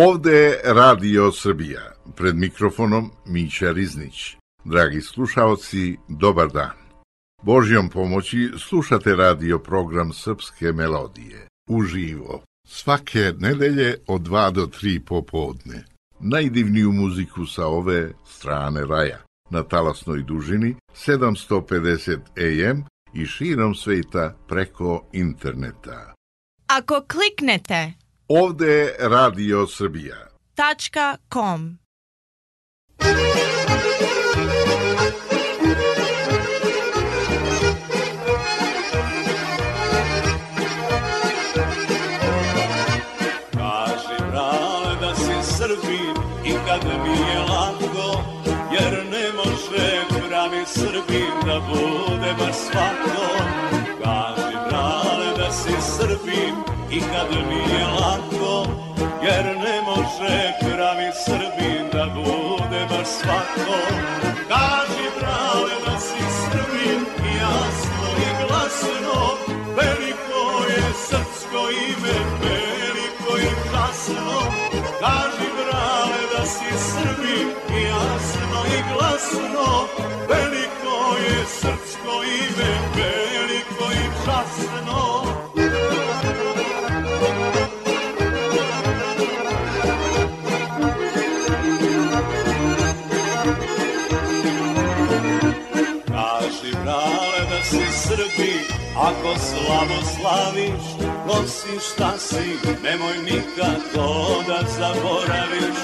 Ovde je Radio Srbija, pred mikrofonom Mića Riznić. Dragi slušaoci, dobar dan. Božjom pomoći slušate radio program Srpske melodije, uživo, svake nedelje od 2 do 3 popodne. Najdivniju muziku sa ove strane raja, na talasnoj dužini 750 AM i širom sveta preko interneta. Ako kliknete Ovde je Radio Srbija .com. Kaži brale da si Srbin i kad mi je lako, jer ne može pravi Srbin da bude baš svako. Kaži brale da si Srbin i kad mi je lako, jer ne može pravi Srbin da bude baš svako. Kaži brale da si Srbin jasno i glasno, veliko je srpsko ime, veliko i časno. Kaži brale da si Srbin jasno i glasno, veliko je srpsko ime, veliko i časno. Srbi, ako slavo slaviš, nosi šta si, nemoj nikako da zaboraviš.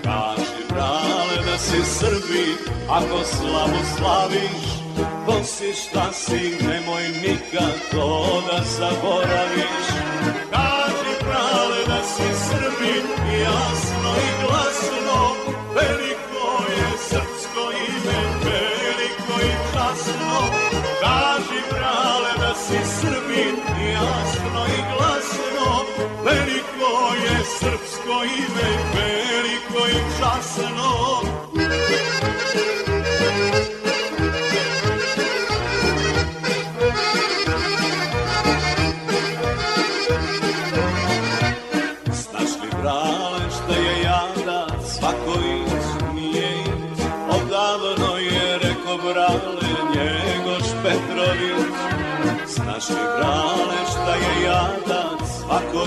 Kaži brale da si Srbi, ako slavo slaviš, nosi šta si, nemoj nikako da zaboraviš. Kaži brale da si Srbi, jasno i glasno, veliko je srpsko ime, veliko i časno. Kaži brale da si Srbin, jasno i glasno, veliko je srpsko ime, veliko i časno. Znaš li brale šta je jada, svako nije iz, odavno je reko brale Njegoš Petrović. Znaš li brale šta je jadac, svako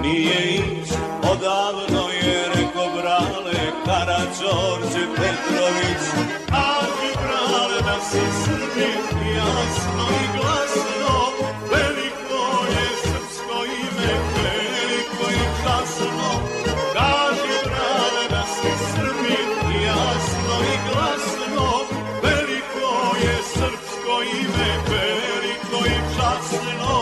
nije iš, odavno je reko brale Karađorđe Petrović. Kaži brale da si Srbin, jasno i glasno, veliko je srpsko ime, veliko i časno. Kaži brale da si Srbin, jasno i glasno, veliko je srpsko ime, veliko i časno.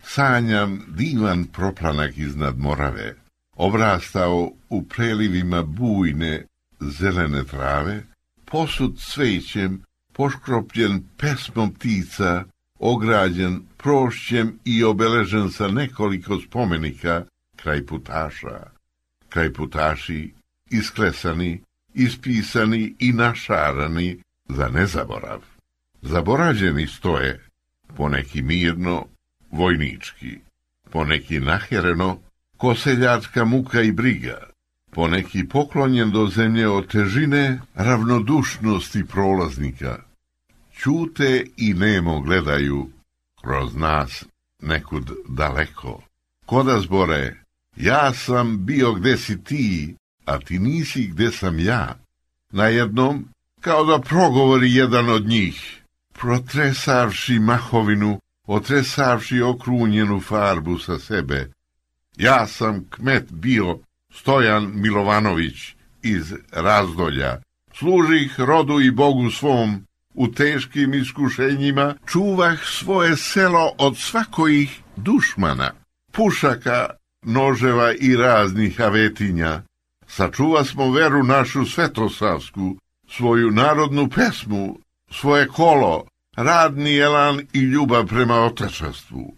Sanjam divan proplanak iznad Morave, obrastao u prelivima bujne zelene trave, posut cvećem, poškropljen pesmom ptica, ograđen prošćem i obeležen sa nekoliko spomenika kraj putaša. Kraj putaši isklesani, ispisani i našarani za nezaborav. Zaborađeni stoje, poneki mirno, vojnički, poneki nahereno, ko seljačka muka i briga, poneki poklonjen do zemlje od težine ravnodušnosti prolaznika. Ćute i nemo gledaju kroz nas nekud daleko. Koda zbore, ja sam bio gde si ti, a ti nisi gde sam ja. Najednom, kao da progovori jedan od njih, protresavši mahovinu, otresavši okrunjenu farbu sa sebe. Ja sam kmet bio Stojan Milovanović iz Razdolja. Služih rodu i Bogu svom, u teškim iskušenjima čuvah svoje selo od svakojih dušmana, pušaka, noževa i raznih avetinja. Sačuva smo veru našu svetosavsku, svoju narodnu pesmu, svoje kolo, radni elan i ljubav prema otečestvu.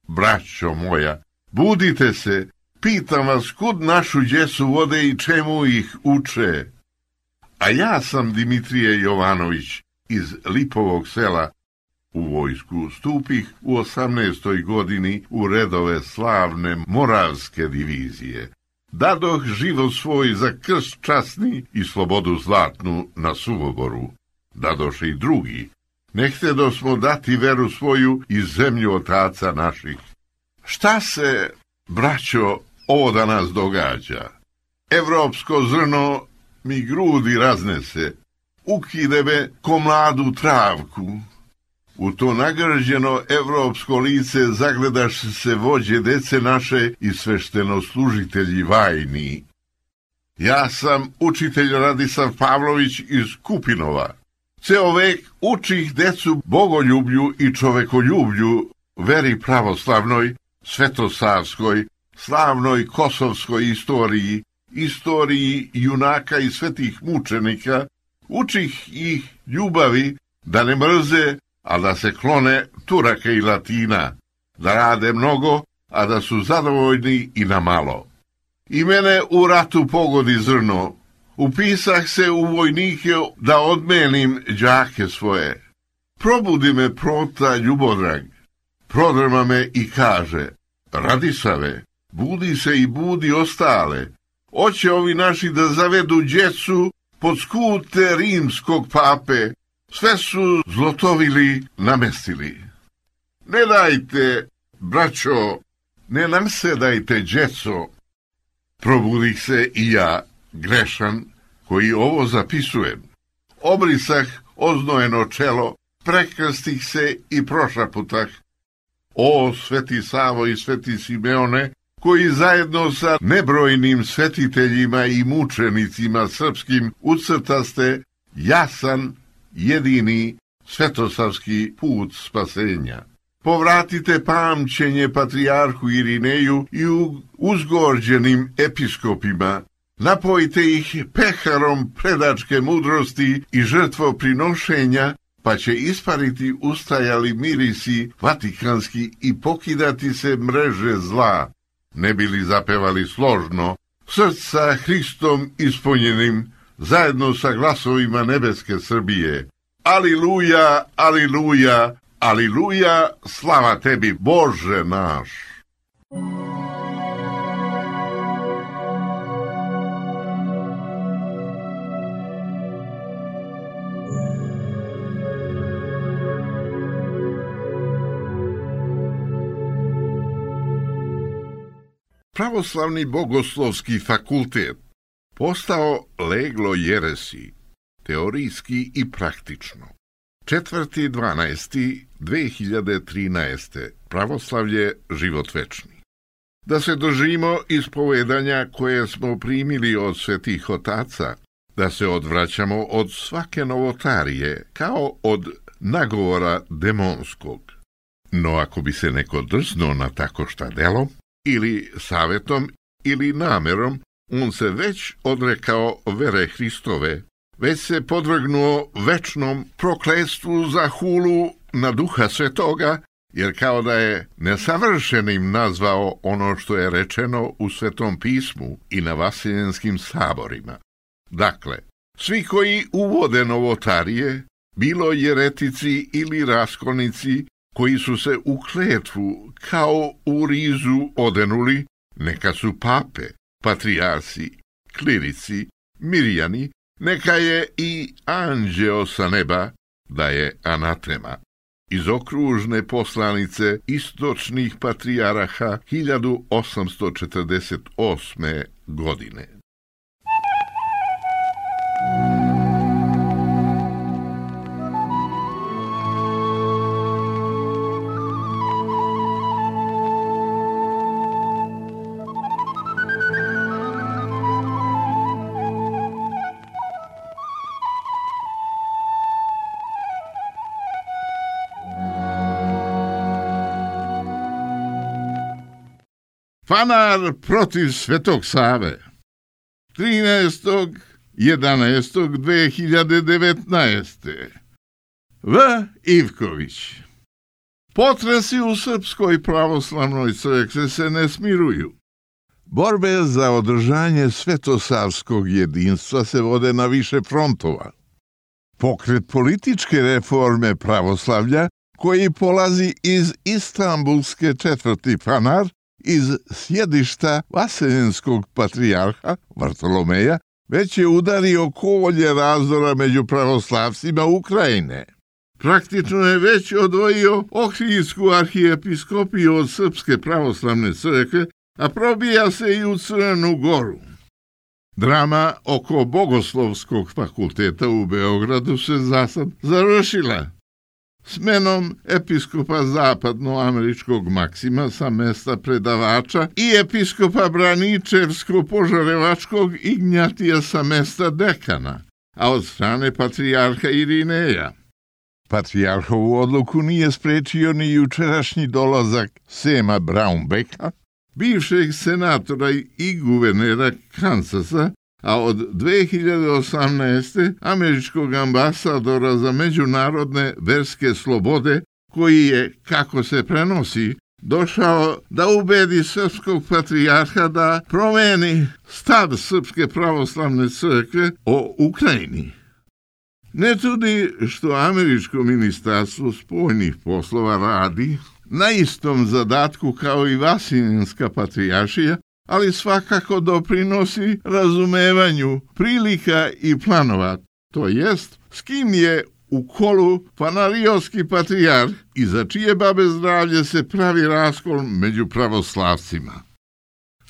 Braćo moja, budite se, pitam vas kud našu djecu vode i čemu ih uče. A ja sam Dimitrije Jovanović iz Lipovog sela, u vojsku stupih u 18. godini u redove slavne Moravske divizije. Dadoh život svoj za krst časni i slobodu zlatnu na Suvoboru. Dadoše i drugi. Ne htedosmo dati veru svoju i zemlju otaca naših. Šta se, braćo, ovo danas događa? Evropsko zrno mi grudi raznese, ukide me ko mladu travku. U to nagrđeno evropsko lice zagledaš se vođe dece naše i sveštenoslužitelji vajni. Ja sam učitelj Radislav Pavlović iz Kupinova. Ceo vek učih decu bogoljublju i čovekoljublju, veri pravoslavnoj, svetosavskoj, slavnoj kosovskoj istoriji, istoriji junaka i svetih mučenika, učih ih ljubavi da ne mrze, a da se klone Turaka i Latina, da rade mnogo, a da su zadovoljni i na malo. I mene u ratu pogodi zrno, upisah se u vojnike da odmenim đake svoje. Probudi me prota ljubodrag, prodrma me i kaže, Radisave, budi se i budi ostale, oće ovi naši da zavedu djecu pod skute rimskog pape, sve su zlotovili namestili. Ne dajte, braćo, ne nasedajte djeco. Probudih se i ja, grešan, koji ovo zapisujem. Obrisah oznojeno čelo, prekrstih se i prošaputah. O, sveti Savo i sveti Simeone, koji zajedno sa nebrojnim svetiteljima i mučenicima srpskim ucrtaste jasan, jedini svetosavski put spasenja. Povratite pamćenje patrijarhu Irineju i uzgorđenim episkopima, napojite ih peharom predačke mudrosti i žrtvoprinošenja, pa će ispariti ustajali mirisi vatikanski i pokidati se mreže zla, ne bili zapevali složno, srca Hristom ispunjenim, zajedno sa glasovima nebeske Srbije. Aliluja, aliluja, aliluja, slava tebi, Bože naš. Pravoslavni bogoslovski fakultet postao leglo jeresi, teorijski i praktično. 4.12.2013. Pravoslavlje život večni. Da se držimo ispovedanja koje smo primili od svetih otaca, da se odvraćamo od svake novotarije, kao od nagovora demonskog. No ako bi se neko drznuo na tako šta delo, ili savjetom, ili namerom, on se već odrekao vere Hristove, već se podvrgnuo večnom prokletstvu za hulu na Duha Svetoga, jer kao da je nesavršenim nazvao ono što je rečeno u Svetom pismu i na vasiljenskim saborima. Dakle, svi koji uvode novotarije, bilo jeretici ili raskolnici, koji su se u kletvu kao u rizu odenuli, neka su pape, patrijarsi, klirici, mirjani, neka je i anđeo sa neba, da je anatema. Iz okružne poslanice istočnih patrijaraha 1848. godine. Fanar protiv Svetog Save. 13.11.2019. V. Ivković. Potresi u Srpskoj pravoslavnoj crkvi se ne smiruju. Borbe za održanje svetosavskog jedinstva se vode na više frontova. Pokret političke reforme pravoslavlja koji polazi iz istambulske četvrti Fanar, iz sjedišta vaseljenskog patrijarha Vartolomeja, već je udario kolje razdora među pravoslavcima Ukrajine. Praktično je već odvojio Ohridsku arhijepiskopiju od Srpske pravoslavne crkve, a probija se i u Crnu Goru. Drama oko Bogoslovskog fakulteta u Beogradu se zasad završila smenom episkopa zapadnoameričkog Maksima sa mesta predavača i episkopa Braničevsko-Požarevačkog Ignjatija sa mesta dekana, a od strane patrijarha Irineja. Patrijarhovu odluku nije sprečio ni jučerašnji dolazak Sema Braunbecka, bivšeg senatora i guvernera Kansasa, a od 2018. američkog ambasadora za međunarodne verske slobode, koji je, kako se prenosi, došao da ubedi srpskog patrijarha da promeni stav Srpske pravoslavne crkve o Ukrajini. Ne čudi što američko ministarstvo spoljnih poslova radi na istom zadatku kao i Vasiljenska patrijaršija, ali svakako doprinosi razumevanju prilika i planova, to jest s kim je u kolu Fanariotski patrijarh i za čije babe zdravlje se pravi raskol među pravoslavcima.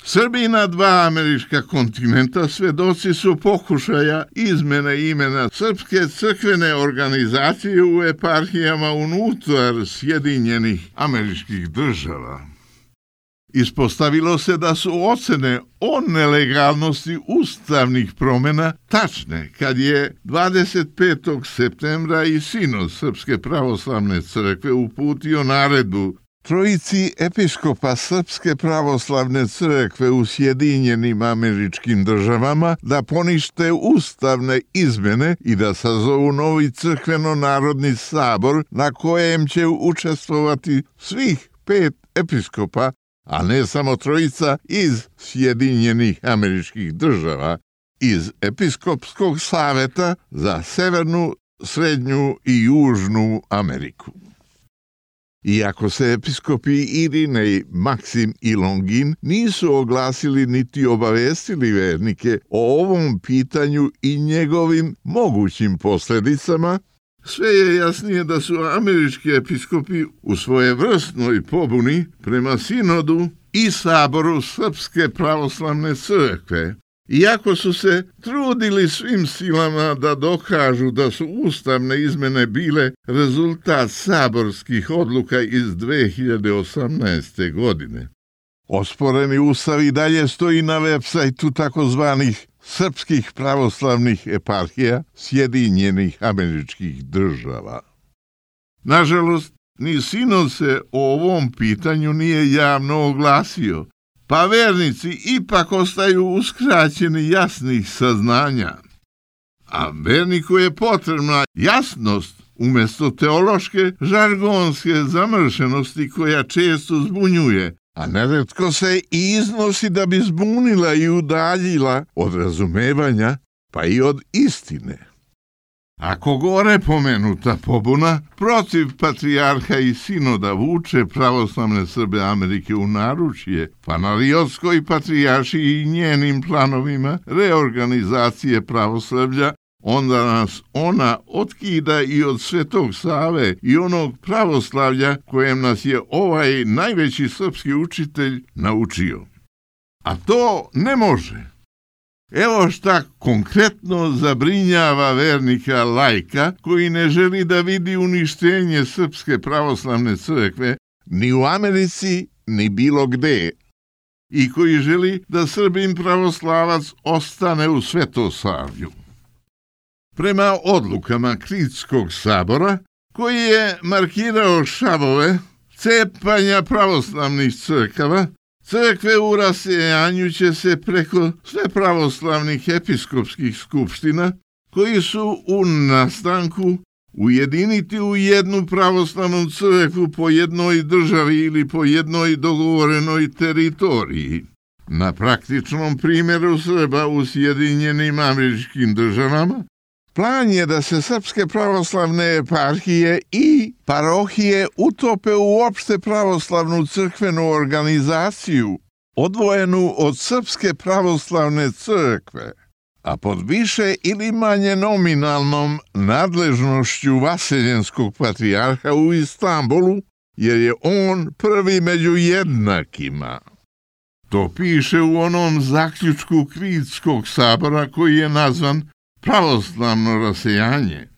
Srbi na dva američka kontinenta svedoci su pokušaja izmene imena Srpske crkvene organizacije u eparhijama unutar Sjedinjenih američkih država. Ispostavilo se da su ocene o nelegalnosti ustavnih promjena tačne kad je 25. septembra i sinod Srpske pravoslavne crkve uputio naredbu trojici episkopa Srpske pravoslavne crkve u Sjedinjenim američkim državama da ponište ustavne izmene i da sazovu novi crkveno-narodni sabor na kojem će učestvovati svih 5 episkopa, a ne samo trojica iz Sjedinjenih američkih država, iz Episkopskog saveta za Severnu, Srednju i Južnu Ameriku. Iako se episkopi Irinej, Maksim i Longin nisu oglasili niti obavestili vernike o ovom pitanju i njegovim mogućim posljedicama, sve je jasnije da su američki episkopi u svojevrsnoj pobuni prema sinodu i saboru Srpske pravoslavne crkve, iako su se trudili svim silama da dokažu da su ustavne izmene bile rezultat saborskih odluka iz 2018. godine. Osporeni ustav i dalje stoji na web sajtu takozvanih srpskih pravoslavnih eparhija Sjedinjenih američkih država. Nažalost, ni sinod se o ovom pitanju nije javno oglasio, pa vernici ipak ostaju uskraćeni jasnih saznanja. A verniku je potrebna jasnost umjesto teološke žargonske zamršenosti koja često zbunjuje, a neretko se i iznosi da bi zbunila i udaljila od razumevanja, pa i od istine. Ako gore pomenuta pobuna protiv patrijarha i sinoda vuče pravoslavne Srbe Amerike u naručje Fanariotskoj patrijaršiji i njenim planovima reorganizacije pravoslavlja, onda nas ona otkida i od Svetog Save i onog pravoslavlja kojem nas je ovaj najveći srpski učitelj naučio. A to ne može. Evo šta konkretno zabrinjava vernika laika koji ne želi da vidi uništenje Srpske pravoslavne crkve ni u Americi ni bilo gde i koji želi da Srbin pravoslavac ostane u Svetosavlju. Prema odlukama Kritskog sabora, koji je markirao šavove cepanja pravoslavnih crkava, crkve u rasejanju će se preko sve pravoslavnih episkopskih skupština, koji su u nastanku, ujediniti u jednu pravoslavnu crkvu po jednoj državi ili po jednoj dogovorenoj teritoriji. Na praktičnom primjeru Srba u Sjedinjenim američkim državama, Plan je da se srpske pravoslavne eparhije i parohije utope u opšte pravoslavnu crkvenu organizaciju, odvojenu od Srpske pravoslavne crkve, a pod više ili manje nominalnom nadležnošću vaseljenskog patrijarha u Istanbulu, jer je on prvi među jednakima. To piše u onom zaključku Kritskog sabora koji je nazvan pravoslavno rasejanje.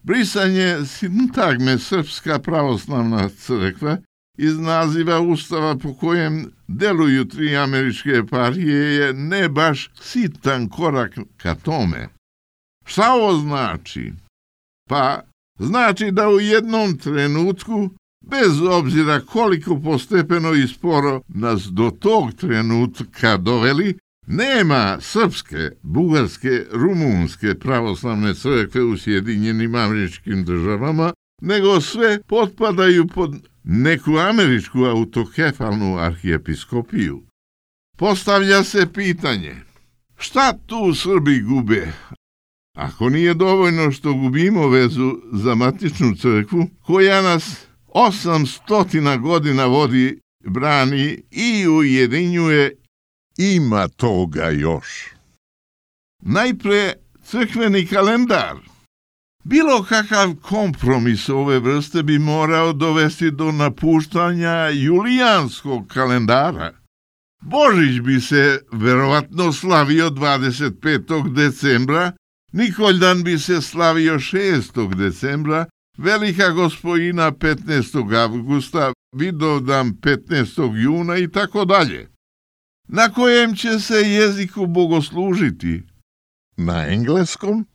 Brisanje sintagme Srpska pravoslavna crkva iz naziva Ustava po kojem deluju 3 američke eparhije je ne baš sitan korak ka tome. Šta ovo znači? Pa znači da u jednom trenutku, bez obzira koliko postepeno i sporo nas do tog trenutka doveli, nema srpske, bugarske, rumunske pravoslavne crkve u Sjedinjenim Američkim Državama, nego sve potpadaju pod neku američku autokefalnu arhijepiskopiju. Postavlja se pitanje, šta tu Srbi gube? Ako nije dovoljno što gubimo vezu za matičnu crkvu, koja nas 800 godina vodi, brani i ujedinjuje, ima toga još. Najpre crkveni kalendar. Bilo kakav kompromis ove vrste bi morao dovesti do napuštanja julijanskog kalendara. Božić bi se verovatno slavio 25. decembra, Nikoldan bi se slavio 6. decembra, Velika Gospojina 15. avgusta, Vidovdan 15. juna i tako dalje. Na kojem će se jeziku bogoslužiti? Na engleskom?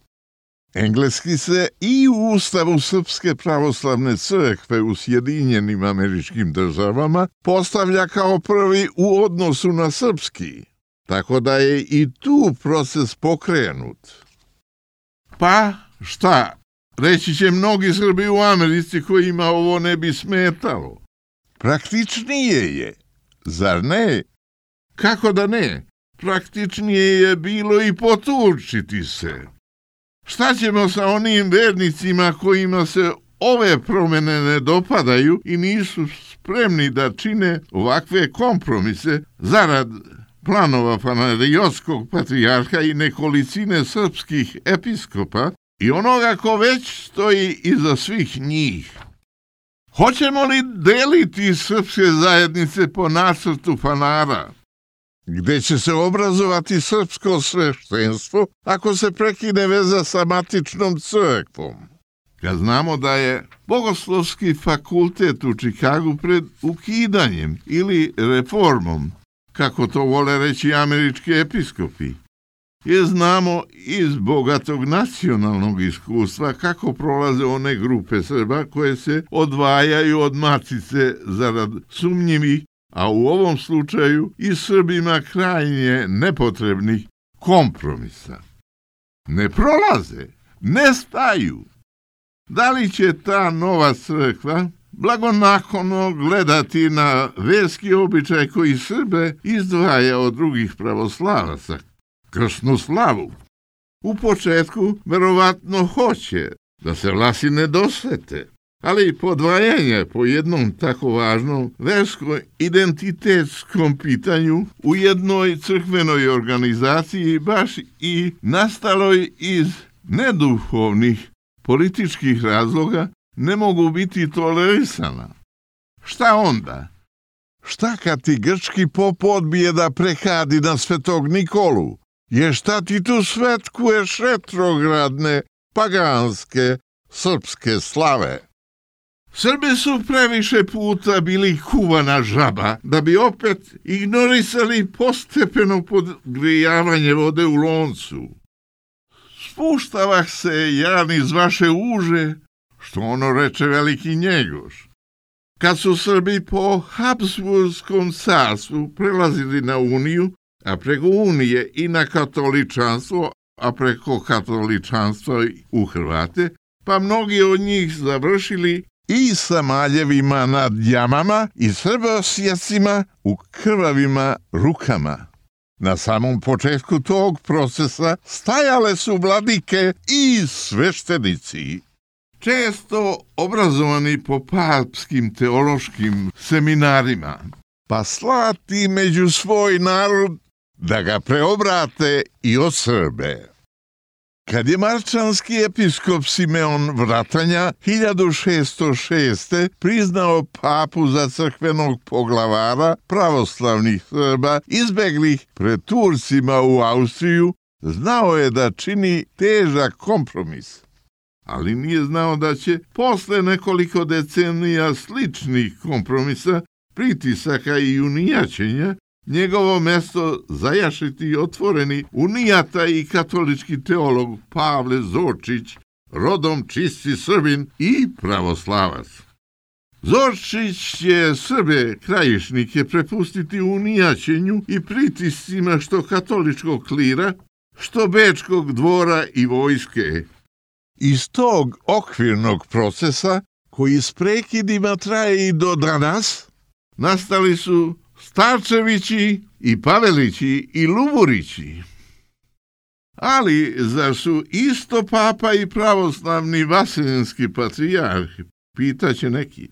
Engleski se i u Ustavu Srpske pravoslavne crkve u Sjedinjenim Američkim Državama postavlja kao prvi u odnosu na srpski, tako da je i tu proces pokrenut. Pa šta? Reći će mnogi Srbi u Americi kojima ovo ne bi smetalo. Praktičnije je, zar ne? Kako da ne? Praktičnije je bilo i potučiti se. Šta ćemo sa onim vernicima kojima se ove promjene ne dopadaju i nisu spremni da čine ovakve kompromise zarad planova Panariotskog patrijarha i nekolicine srpskih episkopa i onoga ko već stoji iza svih njih? Hoćemo li deliti srpske zajednice po nacrtu Fanara, gde će se obrazovati srpsko sveštenstvo ako se prekine veza sa matičnom crkvom? Kad znamo da je Bogoslovski fakultet u Čikagu pred ukidanjem ili reformom, kako to vole reći američki episkopi, jer znamo iz bogatog nacionalnog iskustva kako prolaze one grupe Srba koje se odvajaju od matice zarad sumnjivih, a u ovom slučaju i Srbima krajnje nepotrebnih kompromisa. Ne prolaze, ne staju. Da li će ta nova crkva blagonaklono gledati na verski običaj koji Srbe izdvaja od drugih pravoslavaca, krsnu slavu? U početku verovatno hoće da se Vlasi ne dosvete, ali podvajanje po jednom tako važnom versko-identitetskom pitanju u jednoj crkvenoj organizaciji baš i nastaloj iz neduhovnih političkih razloga ne mogu biti tolerisana. Šta onda? Šta kad ti grčki pop odbije da prekadi na Svetog Nikolu? Je šta ti tu svetkuješ retrogradne, paganske, srpske slave? Srbi su previše puta bili kuvana žaba da bi opet ignorisali postepeno podgrijavanje vode u loncu. Spuštavah se ja iz vaše uže, što ono reče veliki Njegoš. Kad su Srbi po Habsburskom carstvu prelazili na Uniju, a preko Unije i na katoličanstvo, a preko katoličanstva u Hrvate, pa mnogi od njih završili i sa maljevima nad jamama i srbosjecima u krvavima rukama. Na samom početku tog procesa stajale su vladike i sveštenici, često obrazovani po papskim teološkim seminarima, pa slati među svoj narod da ga preobrate i osrbe. Kad je marčanski episkop Simeon Vratanja 1606. priznao papu za crkvenog poglavara pravoslavnih Srba izbeglih pred Turcima u Austriju, znao je da čini težak kompromis. Ali nije znao da će posle nekoliko decenija sličnih kompromisa, pritisaka i unijačenja njegovo mesto zajašiti otvoreni unijata i katolički teolog Pavle Zorčić, rodom čisti Srbin i pravoslavac. Zorčić će Srbe krajišnike prepustiti unijačenju i pritiscima što katoličkog klira, što bečkog dvora i vojske. Iz tog okvirnog procesa, koji s prekidima traje i do danas, nastali su Starčevići i Pavelići i Luburići. Ali zar su isto papa i pravoslavni vaseljenski patrijarh, pitaće neki.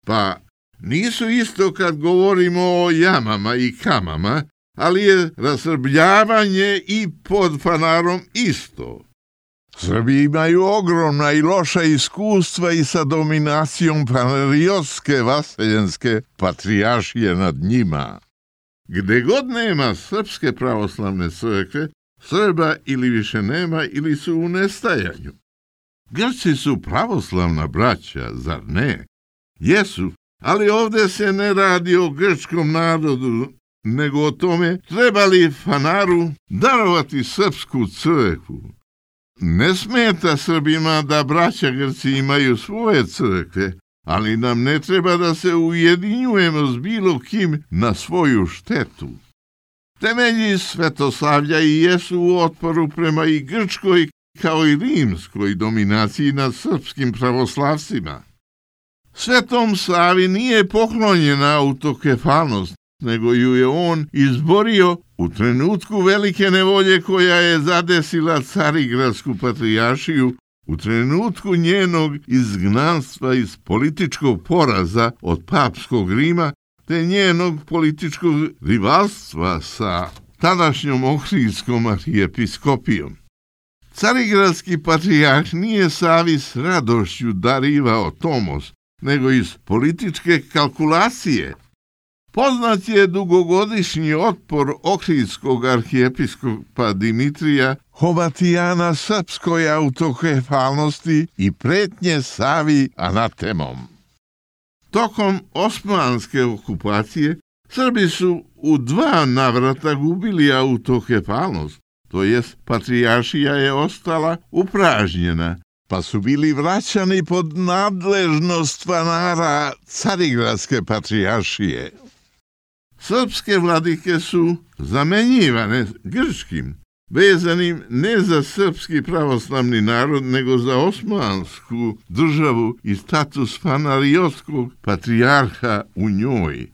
Pa nisu isto kad govorimo o jamama i kamama, ali je rasrbljavanje i pod fanarom isto. Srbi imaju ogromna i loša iskustva i sa dominacijom panariotske vaseljenske patrijaršije nad njima. Gde god nema srpske pravoslavne crkve, Srba ili više nema ili su u nestajanju. Grci su pravoslavna braća, zar ne? Jesu, ali ovdje se ne radi o grčkom narodu, nego o tome treba li fanaru darovati srpsku crkvu. Ne smeta Srbima da braća Grci imaju svoje crkve, ali nam ne treba da se ujedinjujemo s bilo kim na svoju štetu. Temelji svetosavlja i jesu u otporu prema i grčkoj kao i rimskoj dominaciji nad srpskim pravoslavcima. Svetom Savi nije poklonjena autokefalnost, nego ju je on izborio u trenutku velike nevolje koja je zadesila Carigradsku patrijaršiju, u trenutku njenog izgnanstva iz političkog poraza od papskog Rima, te njenog političkog rivalstva sa tadašnjom ohridskom arhijepiskopijom. Carigradski patrijarh nije Savi s radošću darivao tomos, nego iz političke kalkulacije. Poznat je dugogodišnji otpor ohridskog arhijepiskopa Dimitrija Hovatijana srpskoj autokefalnosti i pretnje Savi anatemom. Tokom osmanske okupacije Srbi su u 2 navrata gubili autokefalnost, to jest patrijaršija je ostala upražnjena, pa su bili vraćani pod nadležnost fanara Carigradske patrijaršije. Srpske vladike su zamenjivane grčkim, vezanim ne za srpski pravoslavni narod, nego za osmansku državu i status fanariotskog patrijarha u njoj.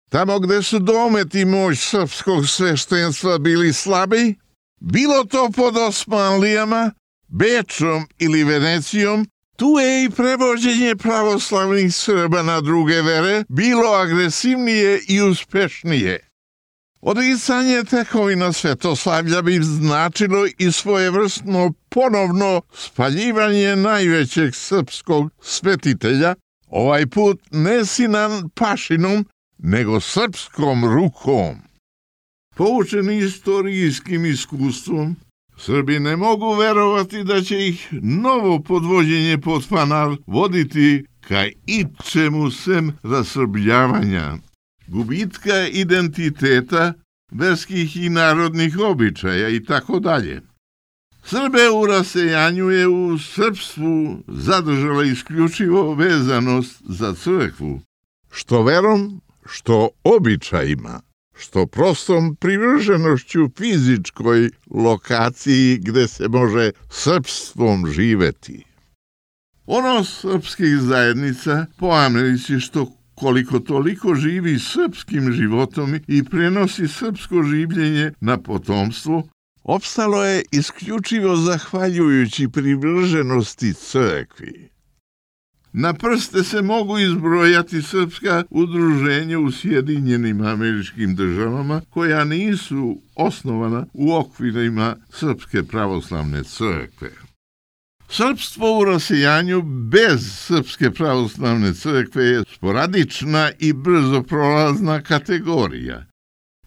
Tamo gde su domet i moć srpskog sveštenstva bili slabi, bilo to pod Osmanlijama, Bečom ili Venecijom, tu je i prevođenje pravoslavnih Srba na druge vere bilo agresivnije i uspešnije. Odricanje tekovina svetoslavlja bi značilo i svojevrsno ponovno spaljivanje najvećeg srpskog svetitelja, ovaj put ne Sinan Pašinom, nego srpskom rukom. Poučeni istorijskim iskustvom, Srbi ne mogu verovati da će ih novo podvođenje pod fanar voditi ka ičemu sem rasrbljavanja, gubitka identiteta, verskih i narodnih običaja i tako dalje. Srbe u rasejanju je u srpstvu zadržala isključivo vezanost za crkvu, što verom, što običajima, što prostom privrženošću fizičkoj lokaciji gde se može srpstvom živeti. Ono srpskih zajednica po Americi što koliko toliko živi srpskim životom i prenosi srpsko življenje na potomstvo, opstalo je isključivo zahvaljujući privrženosti crkvi. Na prste se mogu izbrojati srpska udruženja u Sjedinjenim Američkim Državama koja nisu osnovana u okvirima Srpske pravoslavne crkve. Srpstvo u rasijanju bez Srpske pravoslavne crkve je sporadična i brzo prolazna kategorija.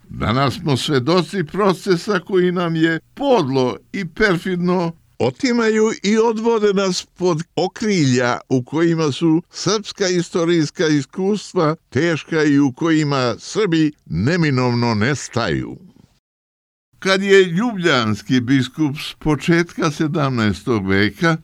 Danas smo svedoci procesa koji nam je podlo i perfidno otimaju i odvode nas pod okrilja u kojima su srpska istorijska iskustva teška i u kojima Srbi neminovno nestaju. Kad je ljubljanski biskup s početka 17. veka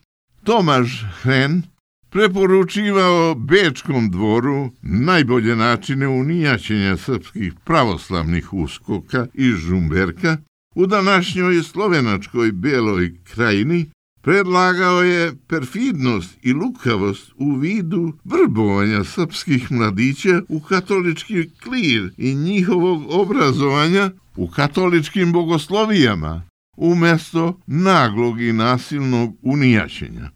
Tomaš Hren preporučivao Bečkom dvoru najbolje načine unijaćenja srpskih pravoslavnih uskoka iz Žumberka, u današnjoj slovenačkoj Beloj krajini predlagao je perfidnost i lukavost u vidu vrbovanja srpskih mladića u katolički klir i njihovog obrazovanja u katoličkim bogoslovijama, umjesto naglog i nasilnog unijaćenja.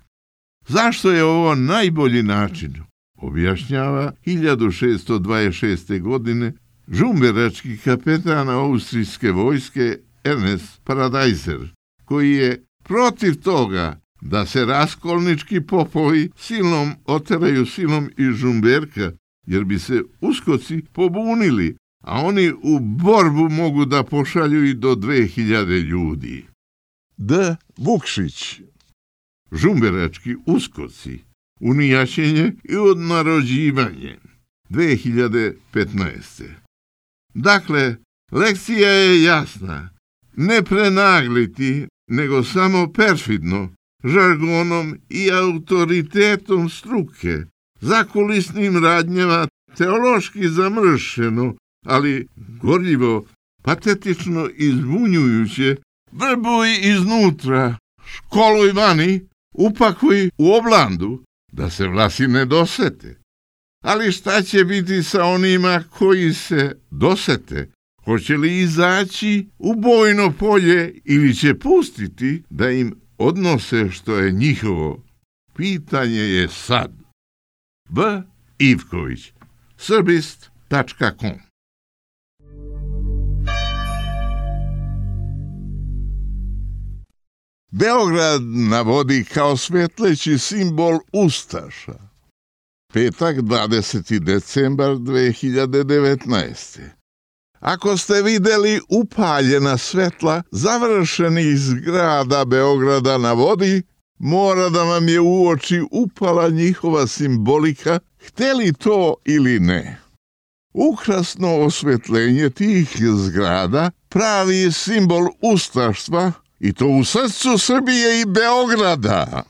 Zašto je ovo najbolji način? Objašnjava 1626. godine žumberački kapetan austrijske vojske Ernest Paradajzer, koji je protiv toga da se raskolnički popovi silom oteraju silom iz Žumberka, jer bi se uskoci pobunili, a oni u borbu mogu da pošalju i do 2000 ljudi. D. Vukšić. Žumberački uskoci, unijaćenje i odnarođivanje. 2015. Dakle, lekcija je jasna. Ne prenagliti, nego samo perfidno, žargonom i autoritetom struke, zakulisnim radnjama teološki zamršeno, ali gorljivo, patetično i zbunjujuće, vrbuj iznutra, školuj vani, upakuj u oblandu, da se vlasi ne dosete. Ali šta će biti sa onima koji se dosete? Hoće li izaći u bojno polje ili će pustiti da im odnose što je njihovo? Pitanje je sad. B. Ivković, srbist.com. Beograd navodi kao svetleći simbol ustaša. Petak, 20. decembar 2019. Ako ste videli upaljena svetla završenih zgrada Beograda na vodi, mora da vam je u oči upala njihova simbolika, hteli to ili ne. Ukrasno osvetljenje tih zgrada pravi simbol ustaštva, i to u srcu Srbije i Beograda.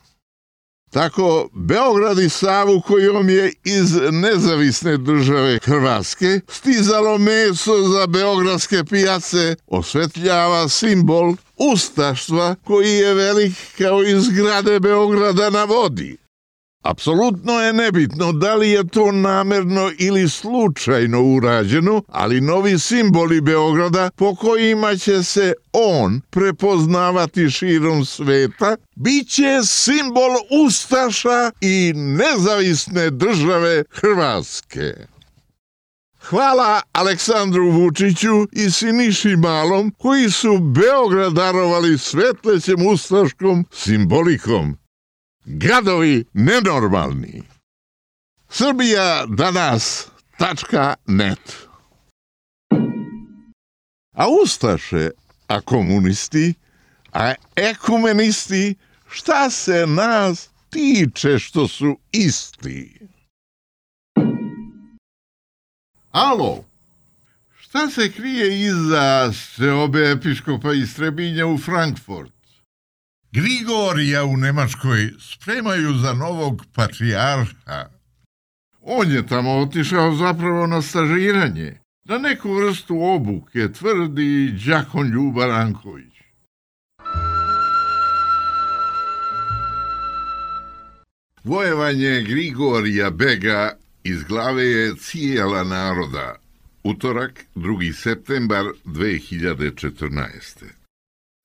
Tako, Beograd i Savu kojom je iz nezavisne države Hrvatske stizalo meso za beogradske pijace, osvetljava simbol ustaštva koji je velik kao i zgrade Beograda na vodi. Apsolutno je nebitno da li je to namerno ili slučajno urađeno, ali novi simboli Beograda po kojima će se on prepoznavati širom sveta, bit će simbol ustaša i nezavisne države Hrvatske. Hvala Aleksandru Vučiću i Siniši Malom koji su Beograd darovali svetlećem ustaškom simbolikom. Gadovi nenormalni. Srbija danas.net. A ustaše, a komunisti, a ekumenisti, šta se nas tiče što su isti? Alo, šta se krije iza seobe episkopa iz Trebinja u Frankfurt? Grigorija u Nemačkoj spremaju za novog patrijarha. On je tamo otišao zapravo na stažiranje, na neku vrstu obuke, tvrdi đakon Ljuba Ranković. Vojevanje Grigorija Bega iz glave je cijela naroda. Utorak, 2. septembar 2014.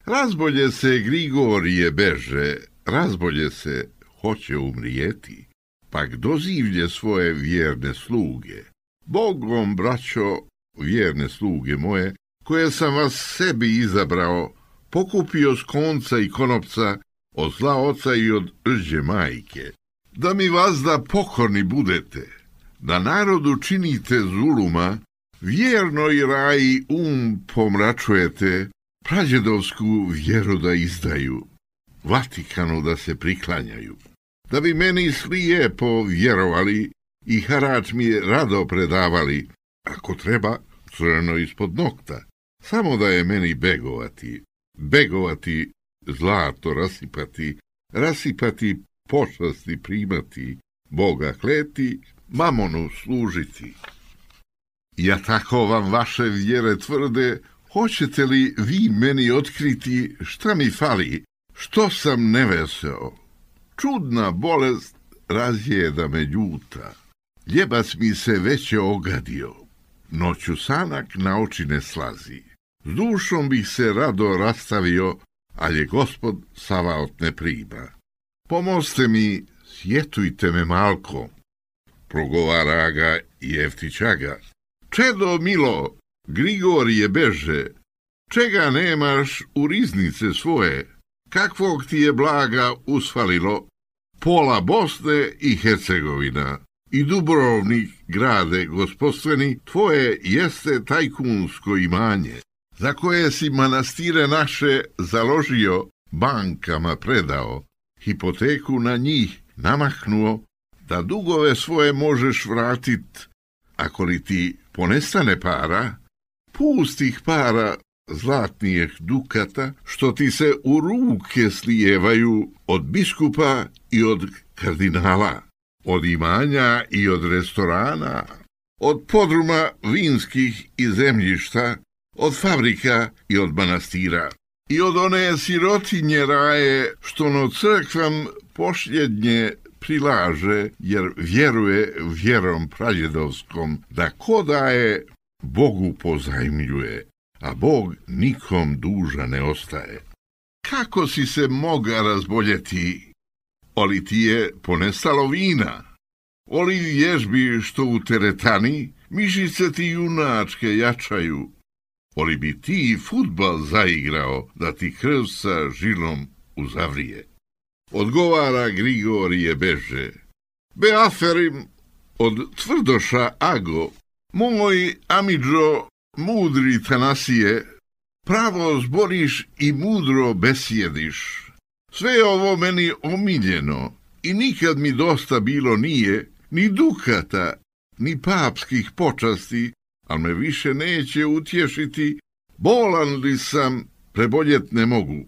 Razbolje se Grigorije beže, razbolje se hoće umrijeti, pak dozivlje svoje vjerne sluge. Bogom, braćo, vjerne sluge moje, koje sam vas sebi izabrao, pokupio s konca i konopca, od zla oca i od rđe majke, da mi vazda pokorni budete, da narodu činite zuluma, vjerno i raji pomračujete, prađedovsku vjeru da izdaju, Vatikanu da se priklanjaju, da bi meni slijepo vjerovali i harač mi rado predavali, ako treba, crno ispod nokta, samo da je meni begovati, zlato rasipati, počasti primati, Boga kleti, mamonu služiti. Ja tako vam vaše vjere tvrde, hoćete li vi meni otkriti šta mi fali, što sam neveseo? Čudna bolest razjeda me ljuta, ljebac mi se već je ogadio, noću sanak na oči ne slazi, s dušom bih se rado rastavio, ali je Gospod savaot ne prima. Pomoste mi, sjetujte me malko, progovara ga Jeftićaga. Čedo milo, Grigorije beže, čega nemaš u riznice svoje, kakvog ti je blaga usfalilo, pola Bosne i Hercegovina i Dubrovnik grade gospodstveni, tvoje jeste tajkunsko imanje, za koje si manastire naše založio, bankama predao, hipoteku na njih namahnuo, da dugove svoje možeš vratit, ako li ti ponestane para, pustih para zlatnijih dukata, što ti se u ruke slijevaju od biskupa i od kardinala, od imanja i od restorana, od podruma vinskih i zemljišta, od fabrika i od manastira, i od one sirotinje raje, što no crkvam posljednje prilaže, jer vjeruje vjerom prađedovskom, da ko daje, Bogu pozajmljuje, a Bog nikom duža ne ostaje. Kako si se moga razboljeti, oli ti je ponestalo vina, oli vježbi što u teretani, mišice ti junačke jačaju, oli bi ti fudbal zaigrao, da ti krv sa žilom uzavrije. Odgovara Grigorije beže. Beaferim od tvrdoša Ago, moj amidžo mudri Tanasije, pravo zboriš i mudro besjediš. Sve ovo meni omiljeno i nikad mi dosta bilo nije, ni dukata, ni papskih počasti, al me više neće utješiti, bolan li sam, preboljet ne mogu.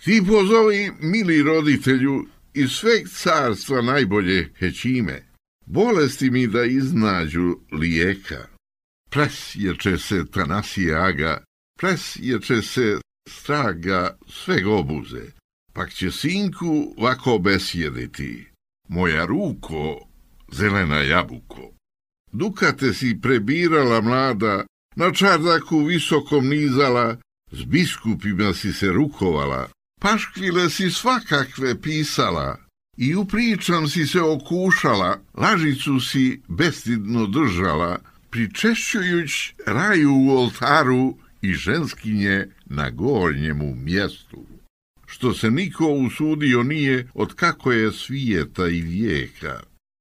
Ti pozovi, mili roditelju, iz sveg carstva najbolje hećime, bolesti mi da iznađu lijeka. Presječe se Tanasije Aga, presječe se straga sveg obuze, pak će sinku vako besjediti, moja ruko, zelena jabuko. Dukate si prebirala mlada, na čardaku visokom nizala, s biskupima si se rukovala, paškvile si svakakve pisala i u pričam si se okušala, lažicu si bestidno držala, pričešćujuć raju u oltaru i ženskinje na gornjemu mjestu. Što se niko usudio nije od kako je svijeta i vijeka,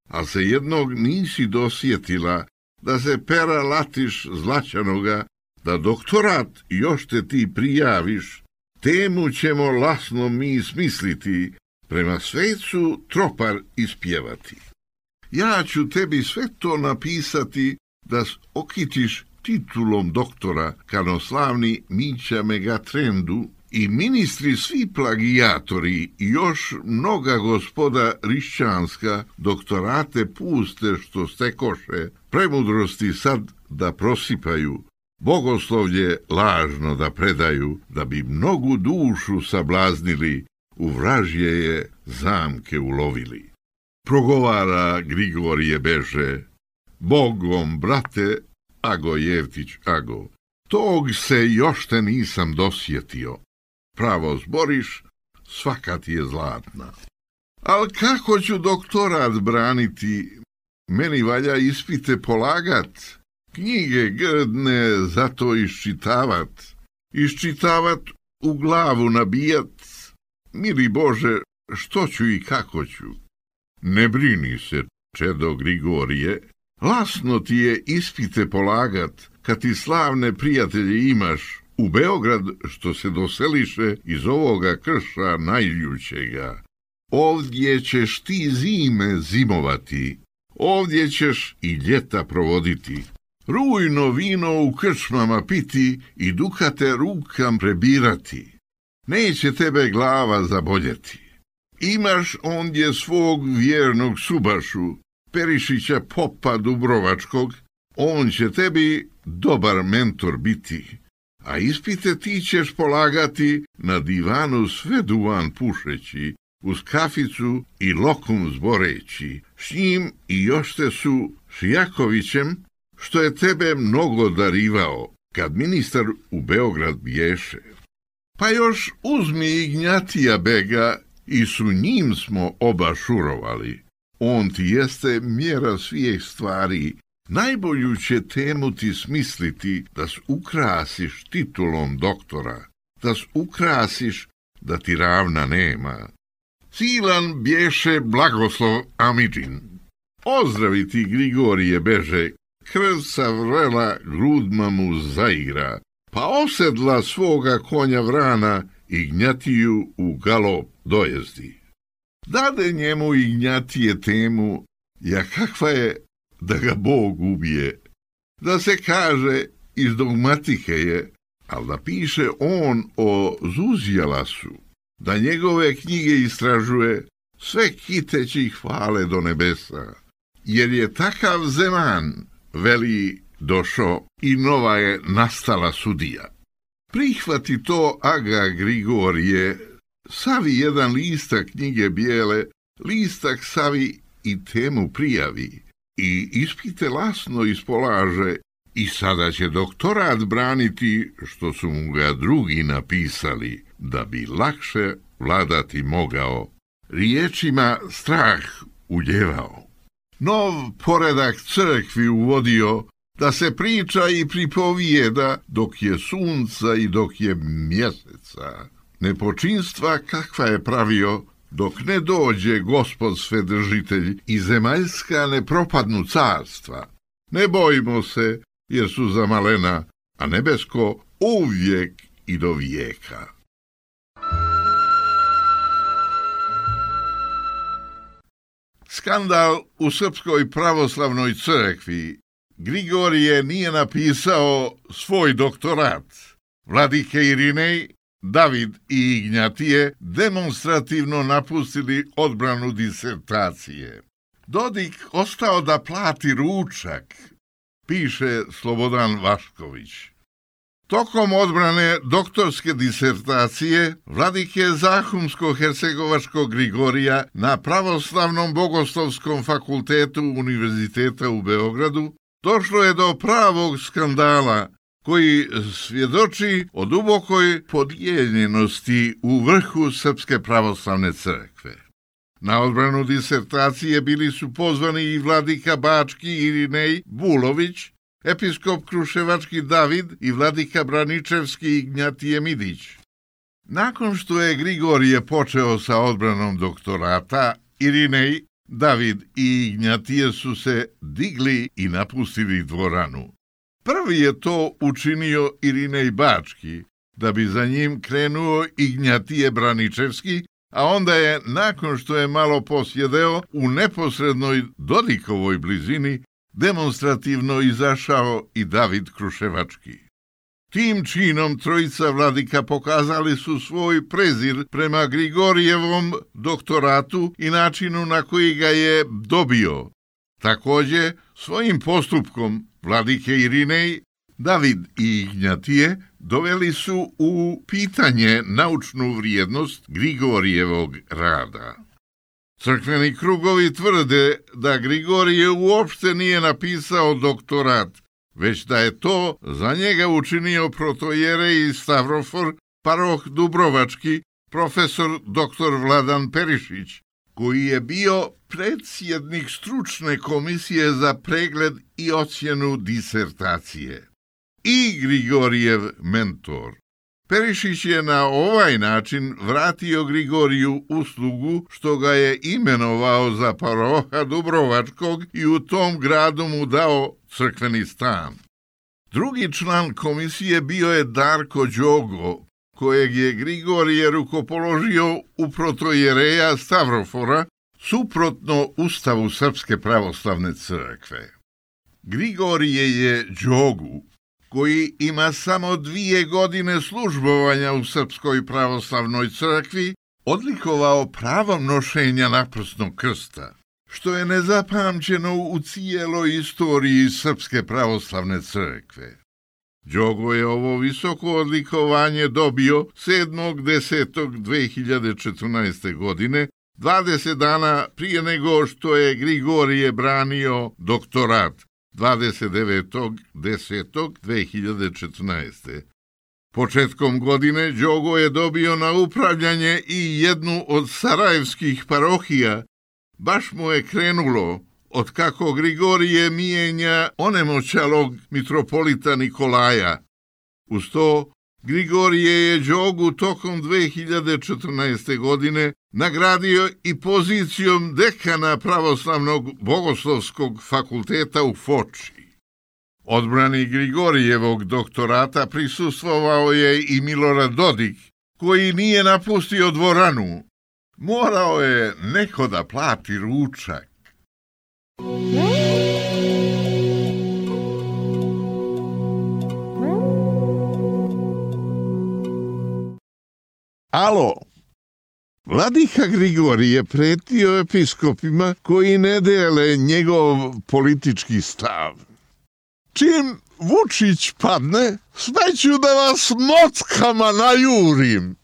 a se jednog nisi dosjetila, da se pera latiš zlaćanoga, da doktorat još te ti prijaviš, temu ćemo lasno mi smisliti, prema svecu tropar ispjevati. Ja ću tebi sve to napisati, da okitiš titulom doktora, kanoslavni Mića Megatrendu, i ministri svi plagijatori i još mnoga gospoda rišćanska doktorate puste što stekoše, premudrosti sad da prosipaju, bogoslovlje lažno da predaju, da bi mnogu dušu sablaznili, u vražje je zamke ulovili. Progovara Grigorije beže, Bogom, brate, Ago Jevtić, Ago. Tog se još te nisam dosjetio. Pravo zboriš, svaka ti je zlatna. Al kako ću doktorat braniti? Meni valja ispite polagat, knjige grdne zato iščitavat, u glavu nabijat. Mili Bože, što ću i kako ću? Ne brini se, čedo Grigorije, lasno ti je ispite polagat, kad ti slavne prijatelje imaš u Beograd, što se doseliše iz ovoga krša najljućega. Ovdje ćeš ti zime zimovati, ovdje ćeš i ljeta provoditi, rujno vino u krčmama piti i dukate rukam prebirati. Neće tebe glava zaboljeti. Imaš ondje svog vjernog Subašu, Perišića popa Dubrovačkog, on će tebi dobar mentor biti, a ispite ti ćeš polagati na divanu sve duvan pušeći, uz kaficu i lokum zboreći, s njim i još te su Šijakovićem, što je tebe mnogo darivao, kad ministar u Beograd bješe. Pa još uzmi Ignjatija bega i su njim smo oba šurovali. On ti jeste mjera svih stvari, najbolju će temu ti smisliti da ukrasiš titulom doktora, da ukrasiš da ti ravna nema. Silan bješe Blagoslov Amidžin. Ozdravi ti Grigorije beže, krvca vrela grudma mu zaigra, pa osedla svoga konja vrana Ignjatiju u galop dojezdi. Dade njemu Ignjatije temu, ja kakva je da ga Bog ubije, da se kaže iz dogmatike je, ali da piše on o Zuzijalasu, da njegove knjige istražuje, sve kiteći ih hvale do nebesa, jer je takav zeman, veli, došao i nova je nastala sudija. Prihvati to, Aga Grigorije, savi jedan listak knjige bijele, listak savi i temu prijavi, i ispite lasno ispolaže, i sada će doktorat braniti što su mu ga drugi napisali, da bi lakše vladati mogao, riječima strah uljevao. Nov poredak crkvi uvodio, da se priča i pripovijeda dok je sunca i dok je mjeseca. Nepočinstva kakva je pravio, dok ne dođe Gospod Svedržitelj i zemaljska ne propadnu carstva. Ne bojimo se, jer su za malena, a nebesko uvijek i do vijeka. Skandal u Srpskoj pravoslavnoj crkvi. Grigorije nije napisao svoj doktorat. Vladike Irinej, David i Ignjatije demonstrativno napustili odbranu disertacije. Dodik ostao da plati ručak, piše Slobodan Vašković. Tokom odbrane doktorske disertacije vladike Zahumsko-hercegovačkog Grigorija na Pravoslavnom bogoslovskom fakultetu Univerziteta u Beogradu došlo je do pravog skandala koji svjedoči o dubokoj podijeljenosti u vrhu Srpske pravoslavne crkve. Na odbranu disertacije bili su pozvani i vladika Bački Irinej Bulović, episkop Kruševački David i vladika Braničevski Ignjatije Midić. Nakon što je Grigorije počeo sa odbranom doktorata, Irinej, David i Ignjatije su se digli i napustili dvoranu. Prvi je to učinio Irinej Bački, da bi za njim krenuo Ignjatije Braničevski, a onda je, nakon što je malo posjedeo, u neposrednoj Dodikovoj blizini, demonstrativno izašao i David Kruševački. Tim činom trojica vladika pokazali su svoj prezir prema Grigorijevom doktoratu i načinu na koji ga je dobio. Također, svojim postupkom vladike Irinej, David i Ignjatije doveli su u pitanje naučnu vrijednost Grigorijevog rada. Crkveni krugovi tvrde da Grigorije uopšte nije napisao doktorat, već da je to za njega učinio protojerej Stavrofor, paroh Dubrovački, profesor dr. Vladan Perišić, koji je bio predsjednik stručne komisije za pregled i ocjenu disertacije i Grigorijev mentor. Perišić je na ovaj način vratio Grigoriju uslugu što ga je imenovao za paroha Dubrovačkog i u tom gradu mu dao crkveni stan. Drugi član komisije bio je Darko Đogo, kojeg je Grigorije rukopoložio u protojereja Stavrofora, suprotno Ustavu Srpske pravoslavne crkve. Grigorije je Đogu, koji ima samo 2 godine službovanja u Srpskoj pravoslavnoj crkvi, odlikovao pravom nošenja naprsnog krsta, što je nezapamćeno u cijeloj istoriji Srpske pravoslavne crkve. Đogo je ovo visoko odlikovanje dobio 7.10.2014. godine, 20 dana prije nego što je Grigorije branio doktorat 29.10.2014. Početkom godine Đogo je dobio na upravljanje i jednu od sarajevskih parohija. Baš mu je krenulo od kako Grigorije mijenja onemoćalog mitropolita Nikolaja. Uz to, Grigorije je Đogu tokom 2014. godine nagradio i pozicijom dekana Pravoslavnog bogoslovskog fakulteta u Foči. Odbrani Grigorijevog doktorata prisustvovao je i Milorad Dodik, koji nije napustio dvoranu. Morao je neko da plati ručak. Alo, vladika Grigorije pretio episkopima koji ne dele njegov politički stav. Čim Vučić padne, sve ću da vas mockama najurim.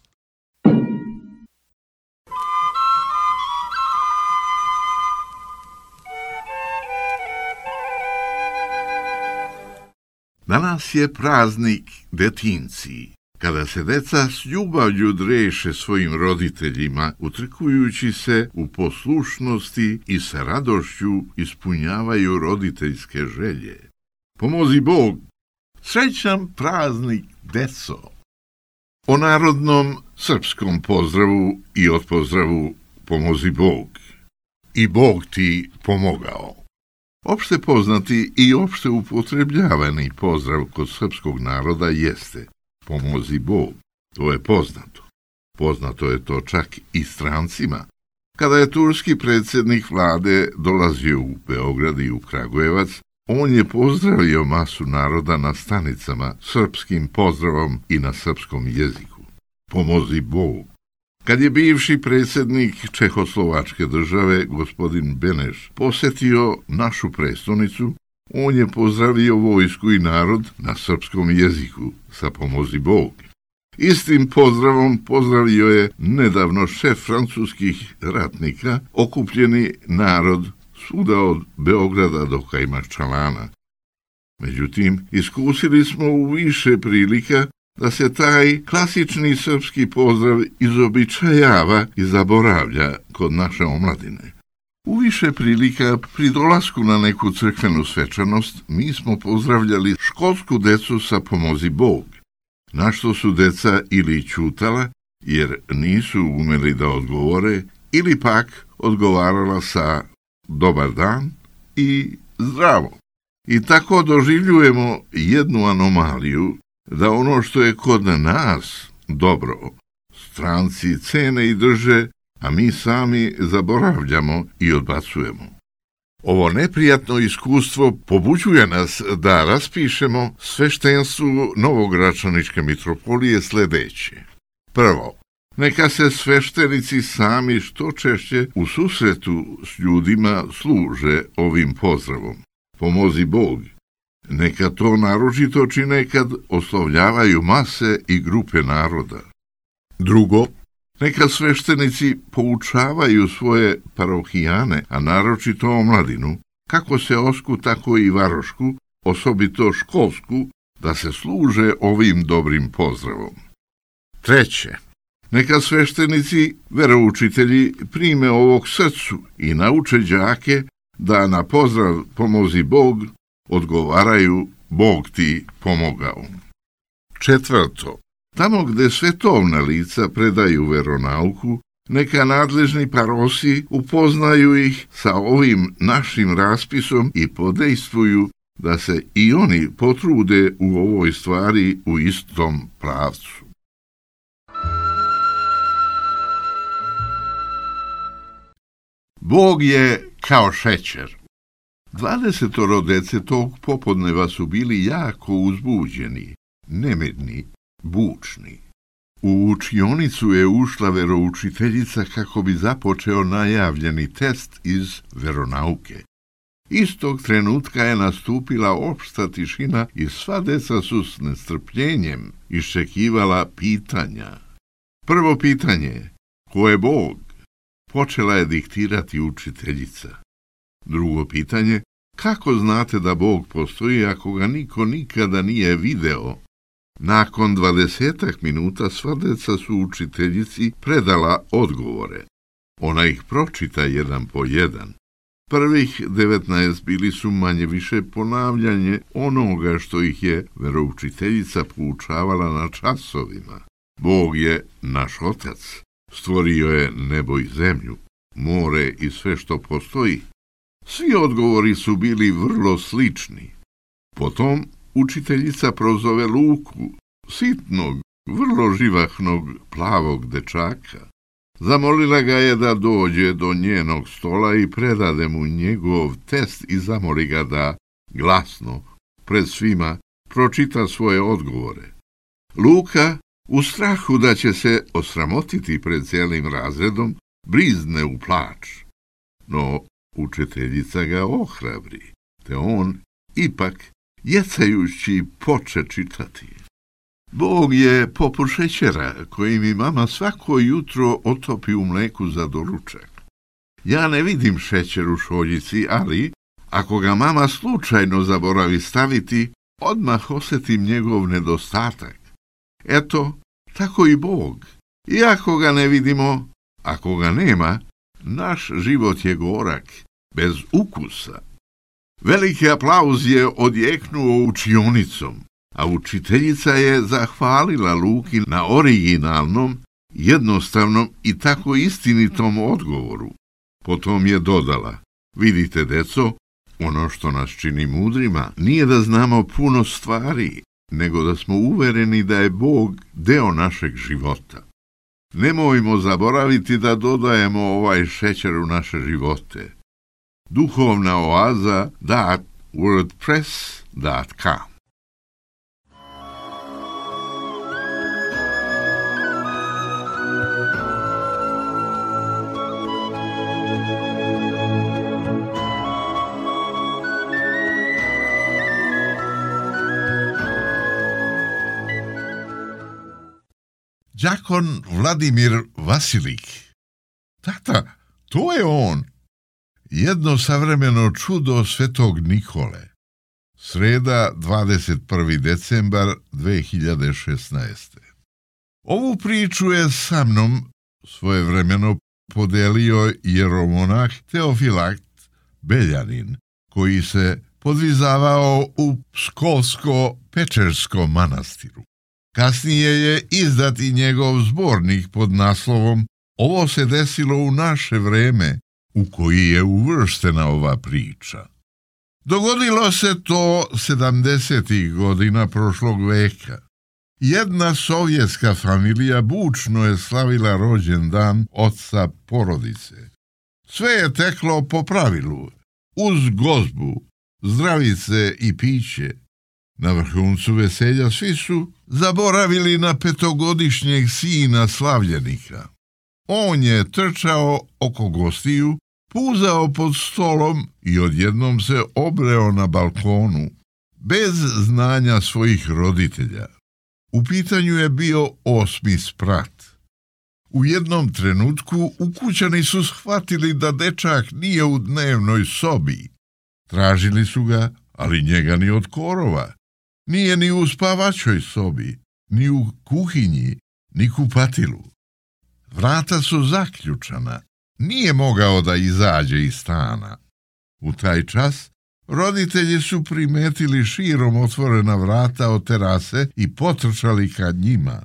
Danas je praznik detinci, kada se deca s ljubavlju dreše svojim roditeljima, utrkujući se u poslušnosti i sa radošću ispunjavaju roditeljske želje. Pomozi Bog, srećan praznik, deco! O narodnom srpskom pozdravu i odpozdravu pomozi Bog. I Bog ti pomogao. Opšte poznati i opšte upotrebljavani pozdrav kod srpskog naroda jeste pomozi Bog. To je poznato. Poznato je to čak i strancima. Kada je turski predsjednik vlade dolazio u Beograd i u Kragujevac, on je pozdravio masu naroda na stanicama srpskim pozdravom i na srpskom jeziku. Pomozi Bog. Kad je bivši predsjednik Čehoslovačke države, gospodin Beneš, posetio našu prestonicu, on je pozdravio vojsku i narod na srpskom jeziku sa pomozi Bog. Istim pozdravom pozdravio je nedavno šef francuskih ratnika, okupljeni narod svuda od Beograda do Kajmakčalana. Međutim, iskusili smo u više prilika da se taj klasični srpski pozdrav izobičajava i zaboravlja kod naše omladine. U više prilika pri dolasku na neku crkvenu svečanost mi smo pozdravljali školsku decu sa pomozi Bog, na što su deca ili ćutala jer nisu umeli da odgovore ili pak odgovarala sa dobar dan i zdravo. I tako doživljujemo jednu anomaliju da ono što je kod nas dobro, stranci cene i drže, a mi sami zaboravljamo i odbacujemo. Ovo neprijatno iskustvo pobuđuje nas da raspišemo sveštenstvu Novogračaničke mitropolije sledeće. Prvo, neka se sveštenici sami što češće u susretu s ljudima služe ovim pozdravom. Pomozi Bog. Neka to naročito čine kad oslovljavaju mase i grupe naroda. Drugo, Neka sveštenici poučavaju svoje parohijane, a naročito omladinu, kako seosku, tako i varošku, osobito školsku, da se služe ovim dobrim pozdravom. 3. Neka sveštenici, veroučitelji, prime ovog srcu i nauče đake da na pozdrav pomozi Bog odgovaraju Bog ti pomogao. 4. Tamo gde svetovna lica predaju veronauku, neka nadležni parosi upoznaju ih sa ovim našim raspisom i podejstvuju da se i oni potrude u ovoj stvari u istom pravcu. Bog je kao šećer. 20 dece tog popodneva su bili jako uzbuđeni, nemirni, bučni. U učionicu je ušla veroučiteljica kako bi započeo najavljeni test iz veronauke. Istog trenutka je nastupila opšta tišina i sva deca su s nestrpljenjem iščekivala pitanja. Prvo pitanje, ko je Bog? Počela je diktirati učiteljica. Drugo pitanje, kako znate da Bog postoji ako ga niko nikada nije video? Nakon 20 minuta sva deca su učiteljici predala odgovore. Ona ih pročita jedan po jedan. Prvih 19 bili su manje više ponavljanje onoga što ih je veroučiteljica poučavala na časovima. Bog je naš Otac, stvorio je nebo i zemlju, more i sve što postoji. Svi odgovori su bili vrlo slični. Potom učiteljica prozove Luku, sitnog, vrlo živahnog, plavog dečaka. Zamolila ga je da dođe do njenog stola i predade mu njegov test i zamoli ga da, glasno, pred svima, pročita svoje odgovore. Luka, u strahu da će se osramotiti pred cijelim razredom, brizne u plač. No, učiteljica ga ohrabri, te on, ipak, jecajući, poče čitati. Bog je poput šećera koji mi mama svako jutro otopi u mleku za doručak. Ja ne vidim šećer u šoljici, ali ako ga mama slučajno zaboravi staviti, odmah osjetim njegov nedostatak. Eto, tako i Bog. Iako ga ne vidimo, ako ga nema, naš život je gorak, bez ukusa. Veliki aplauz je odjeknuo učionicom, a učiteljica je zahvalila Luki na originalnom, jednostavnom i tako istinitom odgovoru. Potom je dodala, vidite, deco, ono što nas čini mudrima nije da znamo puno stvari, nego da smo uvereni da je Bog deo našeg života. Nemojmo zaboraviti da dodajemo ovaj šećer u naše živote. Duhovna oaza .wordpress.com. Đakon Vladimir Vasilik. Tata, to je on. Jedno savremeno čudo svetog Nikole. Sreda, 21. decembar 2016. Ovu priču je sa mnom svojevremeno podelio jeromonah Teofilakt Beljanin, koji se podvizavao u Pskovsko-Pečerskom manastiru. Kasnije je izdat i njegov zbornik pod naslovom Ovo se desilo u naše vreme, u koji je uvrštena ova priča. Dogodilo se to 70. godina prošlog veka. Jedna sovjetska familija bučno je slavila rođendan oca porodice. Sve je teklo po pravilu, uz gozbu, zdravice i piće. Na vrhuncu veselja svi su zaboravili na 5-godišnjeg sina slavljenika. On je trčao oko gostiju, puzao pod stolom i odjednom se obreo na balkonu, bez znanja svojih roditelja. U pitanju je bio 8. sprat. U jednom trenutku ukućani su shvatili da dečak nije u dnevnoj sobi. Tražili su ga, ali njega ni od korova. Nije ni u spavačoj sobi, ni u kuhinji, ni kupatilu. Vrata su zaključana. Nije mogao da izađe iz stana. U taj čas roditelji su primetili širom otvorena vrata od terase i potrčali ka njima.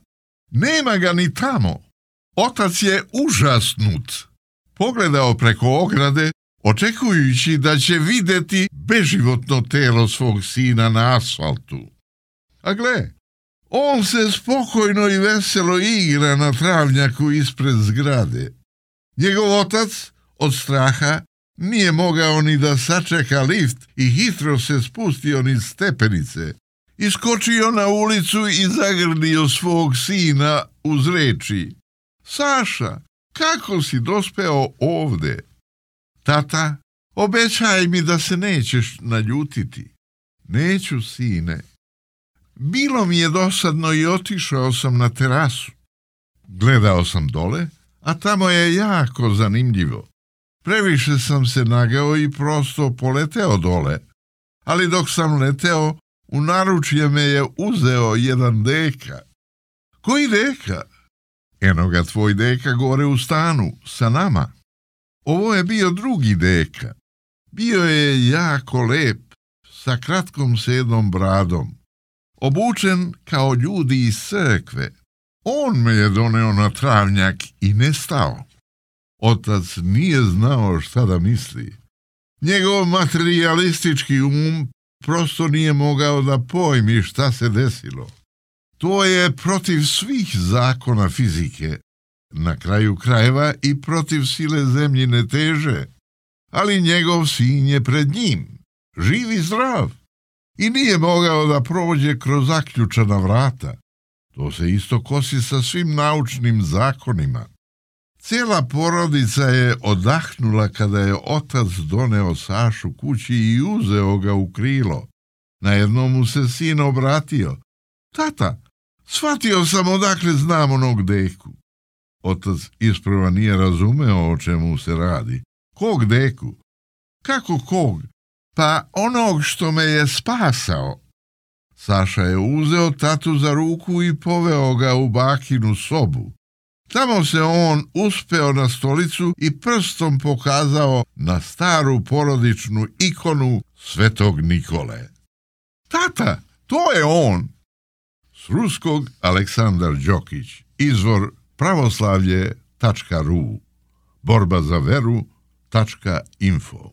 Nema ga ni tamo. Otac je užasnut. Pogledao preko ograde, očekujući da će vidjeti beživotno telo svog sina na asfaltu. A gle, on se spokojno i veselo igra na travnjaku ispred zgrade. Njegov otac od straha nije mogao ni da sačeka lift i hitro se spustio niz stepenice. Iskočio na ulicu i zagrlio svog sina uz reči: Saša, kako si dospeo ovde? Tata, obećaj mi da se nećeš naljutiti. Neću, sine. Bilo mi je dosadno i otišao sam na terasu. Gledao sam dole, a tamo je jako zanimljivo. Previše sam se nagao i prosto poleteo dole, ali dok sam leteo, u naručje me je uzeo jedan deka. Koji deka? Eno ga tvoj deka gore u stanu, sa nama. Ovo je bio drugi deka. Bio je jako lep, sa kratkom sedom bradom. Obučen kao ljudi iz crkve. On me je doneo na travnjak i nestao. Otac nije znao šta da misli. Njegov materijalistički prosto nije mogao da pojmi šta se desilo. To je protiv svih zakona fizike, na kraju krajeva i protiv sile zemljine teže, ali njegov sin je pred njim, živ i zdrav, i nije mogao da prođe kroz zaključana vrata. To se isto kosi sa svim naučnim zakonima. Cijela porodica je odahnula kada je otac doneo Sašu kući i uzeo ga u krilo. Najednom mu se sin obratio: Tata, shvatio sam odakle znam onog deku. Otac isprva nije razumeo o čemu se radi. Kog deku? Kako kog? Pa onog što me je spasao. Saša je uzeo tatu za ruku i poveo ga u bakinu sobu. Tamo se on uspeo na stolicu i prstom pokazao na staru porodičnu ikonu Svetog Nikole. Tata, to je on! S ruskog Aleksandar Đokić, izvor pravoslavlje.ru, borba za veru.info.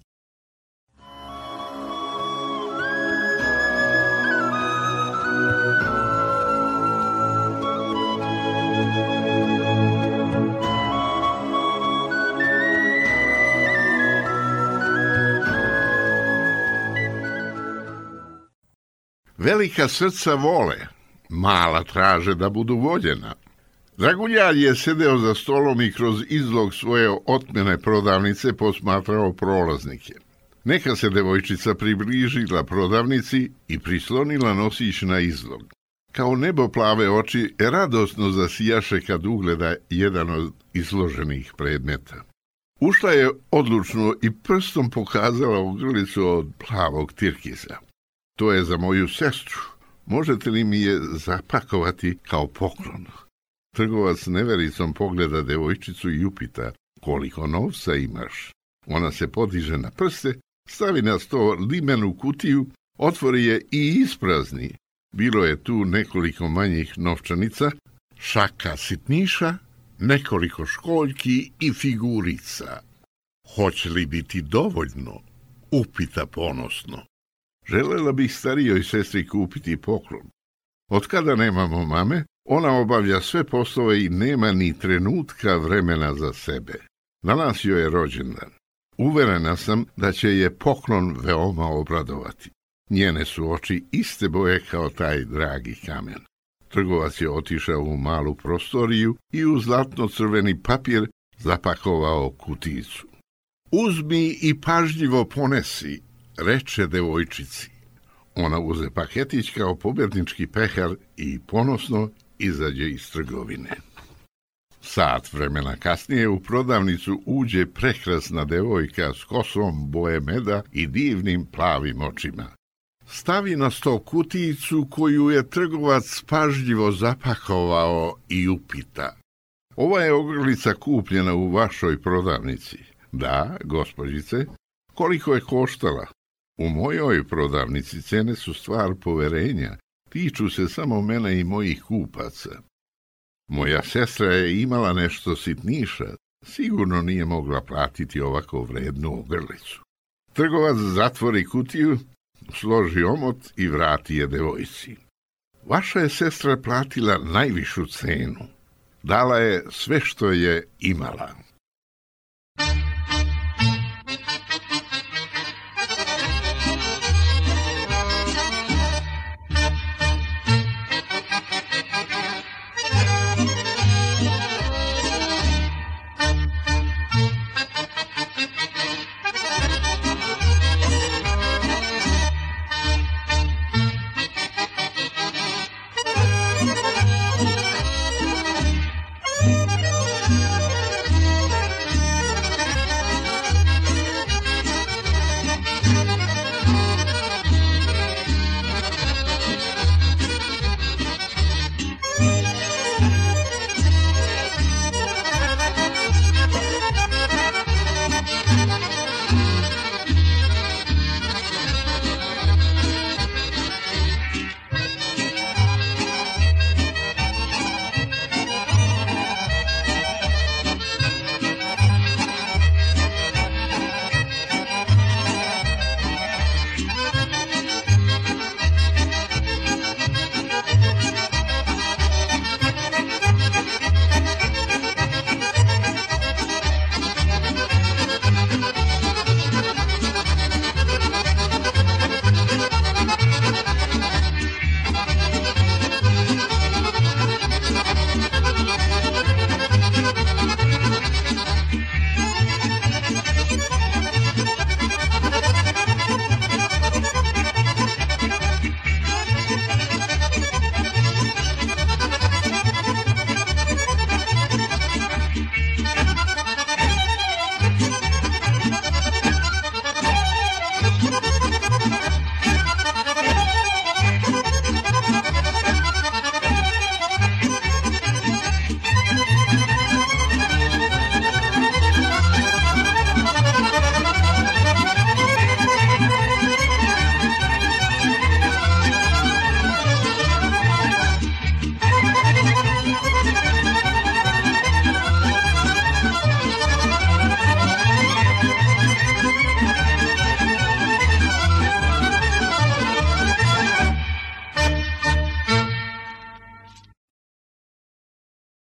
Velika srca vole, mala traže da budu voljena. Draguljar je sedeo za stolom i kroz izlog svoje otmene prodavnice posmatrao prolaznike. Neka se devojčica približila prodavnici i prislonila nosić na izlog. Kao nebo plave oči radosno zasijaše kad ugleda jedan od izloženih predmeta. Ušla je odlučno i prstom pokazala u grlicu od plavog tirkiza. To je za moju sestru. Možete li mi je zapakovati kao poklon? Trgovac nevericom pogleda devojčicu i upita: koliko novca imaš? Ona se podiže na prste, stavi na sto limenu kutiju, otvori je i isprazni. Bilo je tu nekoliko manjih novčanica, šaka sitniša, nekoliko školjki i figurica. Hoće li biti dovoljno? Upita ponosno. Želela bih starijoj sestri kupiti poklon. Od kada nemamo mame, ona obavlja sve poslove i nema ni trenutka vremena za sebe. Danas joj je rođendan. Uverena sam da će je poklon veoma obradovati. Njene su oči iste boje kao taj dragi kamen. Trgovac je otišao u malu prostoriju i u zlatno-crveni papir zapakovao kuticu. Uzmi i pažljivo ponesi, reče devojčici. Ona uze paketić kao pobednički pehar i ponosno izađe iz trgovine. Sat vremena kasnije u prodavnicu uđe prekrasna devojka s kosom boje meda i divnim plavim očima. Stavi na sto kutijicu koju je trgovac pažljivo zapakovao i upita: ova je ogrlica kupljena u vašoj prodavnici? Da, gospođice. Koliko je koštala? U mojoj prodavnici cene su stvar poverenja, tiču se samo mene i mojih kupaca. Moja sestra je imala nešto sitniša, sigurno nije mogla platiti ovako vrednu ogrlicu. Trgovac zatvori kutiju, složi omot i vrati je devojci. Vaša je sestra platila najvišu cenu. Dala je sve što je imala.